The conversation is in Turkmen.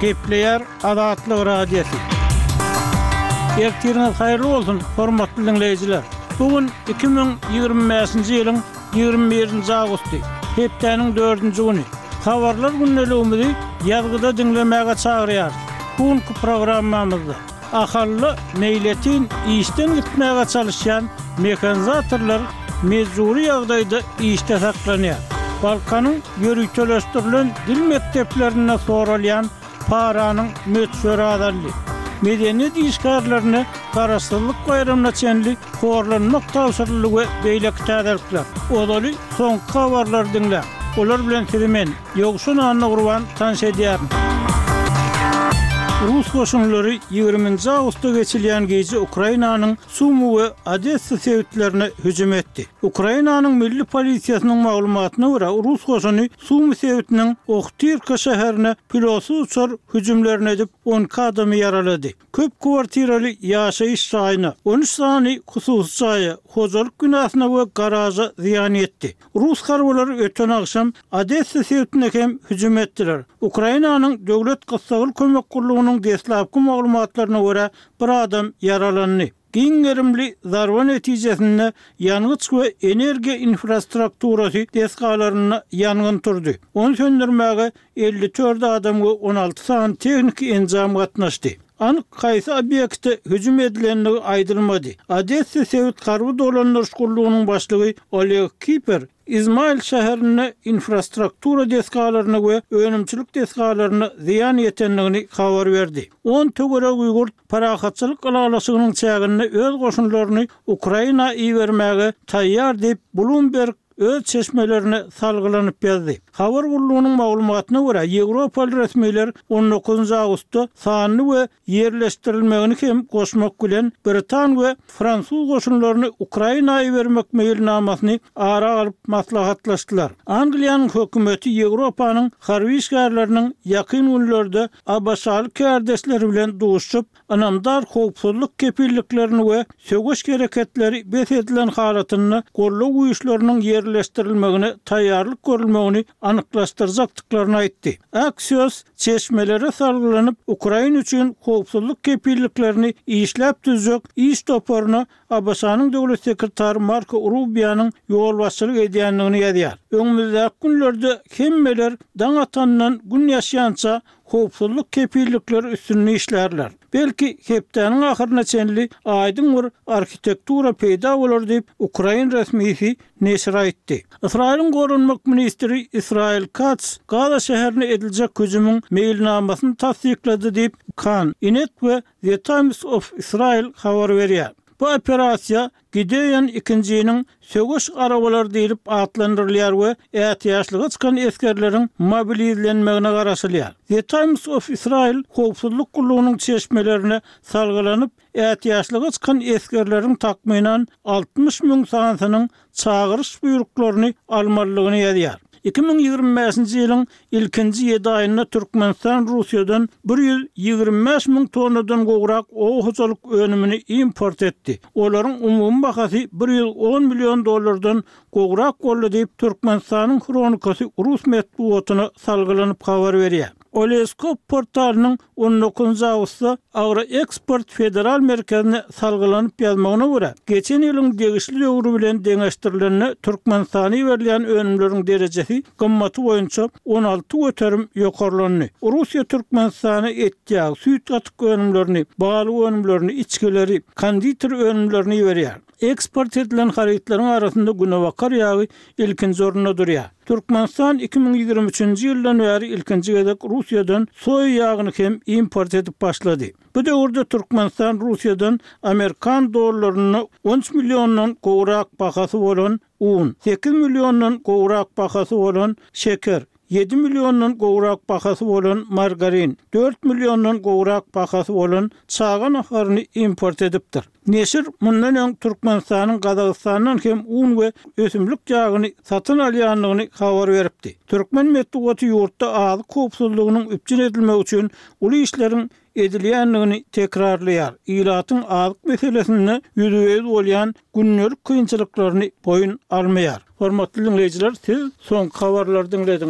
Gepleýär Azatlyk Radiosy. Ertiriňiz haýyrly bolsun, hormatly diňleýjiler! Bu gün 2025-nji ýylyň 21-nji awgusty, hepdäniň dördünji güni. Habarlar gündeligimizi ýazgyda diňlemäge çagyrýarys. Bu günki programmamyzda Ahalda meýletin işden gitmäge çalyşýan mehanizatorlar mejbury ýagdaýda işde saklanýar. Balkanyň ýöriteleşdirilen dil mekdeplerinde soralýan paranyň möçberi azaldy. Medeniýet işgärlerine Garaşsyzlyk baýramyna çenli horlanmak tabşyryldy we beýleki täzelikler. Ozaly soňky habarlary diňläň. Olar bilen sizi men, Ýowşan Annagurban tanyş edýärin. Rus goşunlary ýigriminji awgustda geçilýän gije Ukrainanyň Sumy we Odessa sebitlerine hüjüm etdi. Ukrainanyň milli polisiýasynyň maglumatyna görä, rus goşuny Sumy sebitiniň Ohtyrka şäherine pilotsyz uçar hüjümlerini edip, 12 adamy ýaralady. Köp kwartiraly ýaşaýyş jaýyna, 13 sany hususy jaýa, hojalyk binasyna we garaža zyýan ýetdi. Rus harbylary öten agşam Odessa sebitine hem hüjüm etdiler. Ukrainanyň Döwlet gyssagly kömek gullugynyň deslapky maglumatlaryna görä, bir adam ýaralandy. Giň gerimli zarba netijesinde ýangyç we energiýa infrastrukturasy desgalarynda ýangyn turdy. Ony söndürmäge 54 adam we 16 sany tehniki enjam gatnaşdy. Anyk haýsy obýekte hüjüm edilendigi aýdylmady. Odessa sebit harby dolandyryş gullugynyň başlygy Oleg Kiper Izmail şäherinde infrastruktura desgalaryna we önümçilik desgalaryna zyýan ýetendigini habar berdi. On töweregi ýurt parahatçylyk ylalaşygynyň çäginde öz goşunlaryny Ukraina ibermäge taýýar diýip, Bloomberg öz çeşmelerine salgylanyp ýazdy. Habar gullugynyň maglumatyna görä, ýewropaly resmiler on dokuzynjy awgustda sanly we ýerleşdirilmegini hem goşmak bilen, britan we fransuz goşunlaryny Ukraina ibermek meýilnamasyny ara alyp maslahatlaşdylar. Angliýanyň hökümeti Ýewropanyň harby işgärleriniň ýakyn günlerde ABŞ-ly kärdeşleri bilen duşuşyp, ynamdar howpsuzlyk kepilliklerini we söweş hereketleri bes edilen halatynda goldaw güýçleriniň ýerleşdirilmegine taýýarlyk görülmegini anyklaşdyrjakdyklaryny aýtdy. Axios çeşmelere salgylanyp, Ukraina üçin howpsuzlyk kepilliklerini işläp düzjek iş toparyna ABŞ-nyň döwlet sekretary Marko Rubionyň ýolbaşçylyk edýändigini ýazýar. Öňümizdäki günlerde hemmeler daň atandan gün ýaşýança howpsuzlyk kepillikleri üstünde işlärler. Belki, hepdäniň ahyryna çenli aýdyň bir arhitektura peýda bolar diýip, ukrain resmisi neşire aýtdy. Ysraýylyň goranmak ministri Israel Katz Gaza şäherine ediljek hüjümiň meýilnamasyny tassyklady diýip, Kan, Ynet we The Times of Israel habar berýär. Bu operasiýa Gideon ikinjiniň söweş arabalary diýlip atlandyrylýar we ätiýaçlyga çykan esgerleriň mobilizlenmegine garaşylýar. The Times of Israel howpsuzlyk gullugynyň çeşmelerine salgylanyp, ätiýaçlyga çykan esgerleriň takmynan 60 müň sanysynyň çagyryş buýruklaryny almalydygyny ýazýar. 2025-nji ýylyň ilkinji ýedi aýynda Türkmenistan Russiýadan 125 müň tonnadan gowrak oba hojalyk önümini import etdi. Olaryň umumy bahasy 110 million dollardan gowrak boldy diýip, Türkmenistanyň Hronikasy rus metbugatyna salgylanyp habar berýär. Oleskop portalynyň on dokuzynjy awgustda Agroeksport federal merkezine salgylanyp ýazmagyna görä, geçen ýylyň degişli döwri bilen deňeşdirilende Türkmenistana iberilýän önümleriň derejesi gymmaty boýunça 16% ýokarlandy. Russiýa Türkmenistana et-ýag, süýt-gatyk önümlerini, balyk önümlerini, içgileri, konditer önümlerini iberýär. Eksport edilen harytlaryň arasynda günebakar ýagy ilkinji orunda durýar. Türkmenistan 2023-nji ýyldan bäri ilkinji gezek Russiýadan soýa ýagyny hem import edip başlady. Bu döwürde Türkmenistan Russiýadan amerikan dollarynda 13 milliondan gowrak bahasy bolan un, 8 milliondan gowrak bahasy bolan şeker, ýedi milliondan gowrak bahasy bolan margarin, dört milliondan gowrak bahasy bolan çaga naharyny import edipdir. Neşir mundan öň Türkmenistanyň Gazagystandan hem un we ösümlik ýagyny satyn alýandygyny habar beripdi. Türkmen metbugaty ýurtda azyk howpsuzlygynyň üpjün edilmegi üçin uly işleriň edilýändigini tekrarlaýar, ilatyň azyk meselesinde ýüzbe-ýüz bolýan gündelik kynçylyklaryny boýun almaýar. Hormatly diňleýjiler, siz soňky habarlary diňlediňiz.